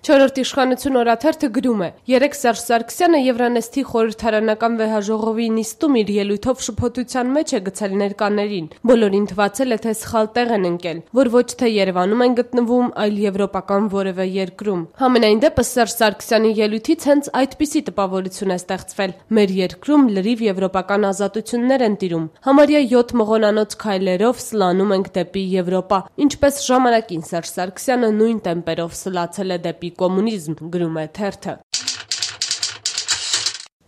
Չորրորդ իշխանություն օրաթերթը գրում է. «Երեկ Սերժ Սարգսյանը Եվրանեստի խորհրդարանական վեհաժողովի նիստում իր ելույթով շփոթության մեջ է գցել ներկաներին։ Բոլորին թվացել է, թե սխալ տեղ են ընկել, որ ոչ թե Երևանում են գտնվում, այլ եվրոպական որևէ երկրում։ Համենայն դեպս Սերժ Սարգսյանի ելույթից հենց այդպիսի տպավորություն է ստեղծվել։ Մեր երկրում լրիվ եվրոպական ազատություններ են տիրում։ Համարյա 7 մղոնանոց քայլերով սլանում ենք դեպի Եվրոպա, ինչպես ժամանակին Սերժ Սարգսյանը նույն տեմպերով սլացել է դեպի կոմունիզմ», գրում է թերթը։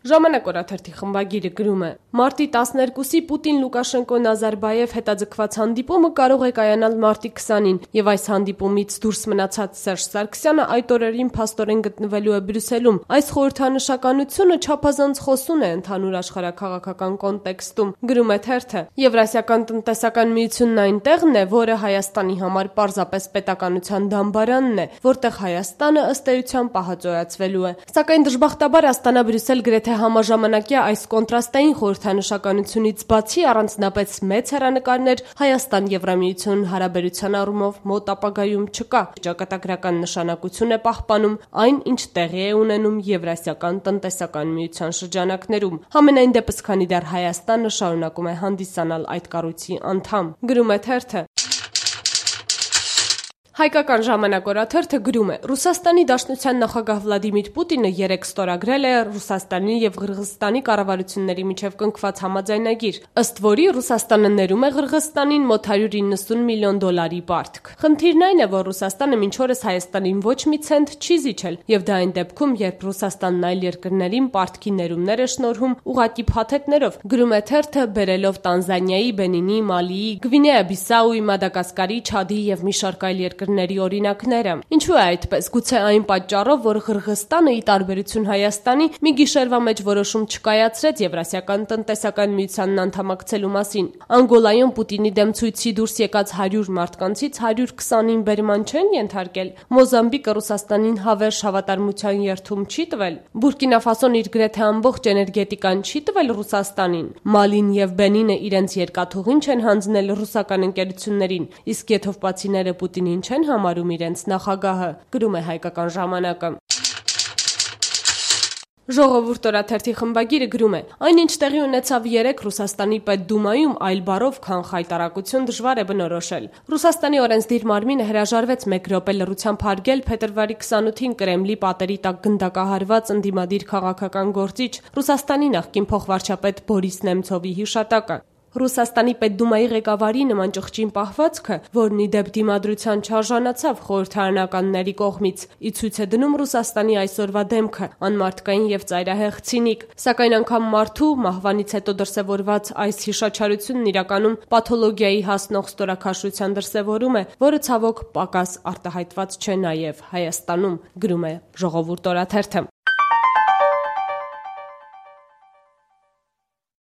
Ժամանակ օրաթերթի խմբագիրը գրում է. «Մարտի 12-ի Պուտին-Լուկաշենկո-Նազարբաև հետաձգված հանդիպումը կարող է կայանալ մարտի 20-ին, եւ այս հանդիպումից դուրս մնացած Սերժ Սարգսյանը այդ օրերին փաստորեն գտնվելու է Բրյուսելում։ Այս խորհրդանշականությունը չափազանց խոսուն է ընդհանուր աշխարհաքաղաքական կոնտեքստում», գրում է թերթը։ Եվրասիական տնտեսական միությունն այնտեղն է, որը Հայաստանի համար պարզապես պետականության դամբարանն է, որտեղ Հայաստանը ըստ էության պահածոյացվելու է։ Սակայն դժբախտաբար Աստանա-Բրյուսել գրեթե համաժամանակյա այս կոնտրաստային խորհրդանշականությունից բացի առանձնապես մեծ հեռանկարներ Հայաստան-Եվրամիություն հարաբերության առումով մոտ ապագայում չկա։ Ճակատագրական նշանակություն է պահպանում այն, ինչ տեղի է ունենում Եվրասիական տնտեսական միության շրջանակներում։ Համենայն դեպս, քանի դեռ Հայաստանը շարունակում է հանդիսանալ այդ կառույցի անդամ, գրում է թերթը։ Հայկական ժամանակ օրաթերթը գրում է. «Ռուսաստանի Դաշնության նախագահ Վլադիմիր Պուտինը երեկ ստորագրել է Ռուսաստանի եւ Ղրղըզստանի կառավարությունների միջև կնքված համաձայնագիր, ըստ որի Ռուսաստանը ներում է Ղրղըզստանին մոտ $190 միլիոն պարտք։ Խնդիրն այն է, որ Ռուսաստանը մինչ օրս Հայաստանին ոչ մի ցենտ չի զիջել, եւ դա այն դեպքում, երբ Ռուսաստանն այլ երկրներին պարտքի ներումներ է շնորհում ուղղակի փաթեթներով», գրում է թերթը, բերելով Տանզանիայի, Բենինի, Մալիի, Գվինեա-Բիսաուի, Մադագասկարի, Չադի եւ մի շարք այլ երկրների օրինակները։ Ինչու է այդպես։ Գուցե այն պատճառով, որ Ղրղըզստանը ի տարբերություն Հայաստանի մի գիշերվա մեջ որոշում չկայացրեց Եվրասիական տնտեսական միությանն անդամակցելու մասին։ Անգոլայում Պուտինի դեմ ցույցի դուրս եկած 100 մարդկանցից 120-ին բերման չեն ենթարկել։ Մոզամբիկը Ռուսաստանին հավերժ հավատարմության երդում չի տվել։ Բուրկինա Ֆասոն իր գրեթե ամբողջ էներգետիկան չի տվել Ռուսաստանին։ Մալին եւ Բենինը իրենց երկաթուղին չեն հանձնել ռուսական ընկերություններին, իսկ եթովպացիները Պուտինին չեն համարում իրենց նախագահը, գրում է Հայկական ժամանակը։ Ժողովուրդ օրաթերթի խմբագիրը գրում է. «Այնինչ տեղի ունեցավ երեկ Ռուսաստանի Պետդումայում այլ բառով, քան խայտարակություն դժվար է բնորոշել։ Ռուսաստանի օրենսդիր մարմինը հրաժարվեց 1 րոպե լռությամբ հարգել փետրվարի 28-ին Կրեմլի պատերի տակ գնդակահարված ընդդիմադիր քաղաքական գործիչ Ռուսաստանի նախկին փոխվարչապետ Բորիս Նեմցովի հիշատակը։ Ռուսաստանի Պետդումայի ղեկավարի նման ճղճին պահվածքը, որն ի դեպ դիմադրության չարժանացավ խորհրդարանականների կողմից, ի ցույց է դնում Ռուսաստանի այսօրվա դեմքը, անմարդկային եւ ծայրահեղ ցինիկ։ Սակայն անգամ մարդու մահվանից հետո դրսևորված այս հիշաչարությունն իրականում պաթոլոգիայի հասնող ստորաքաշության դրսևորում է, որը ցավոք պակաս արտահայտված չէ նաեւ Հայաստանում», գրում է Ժողովուրդ օրաթերթը։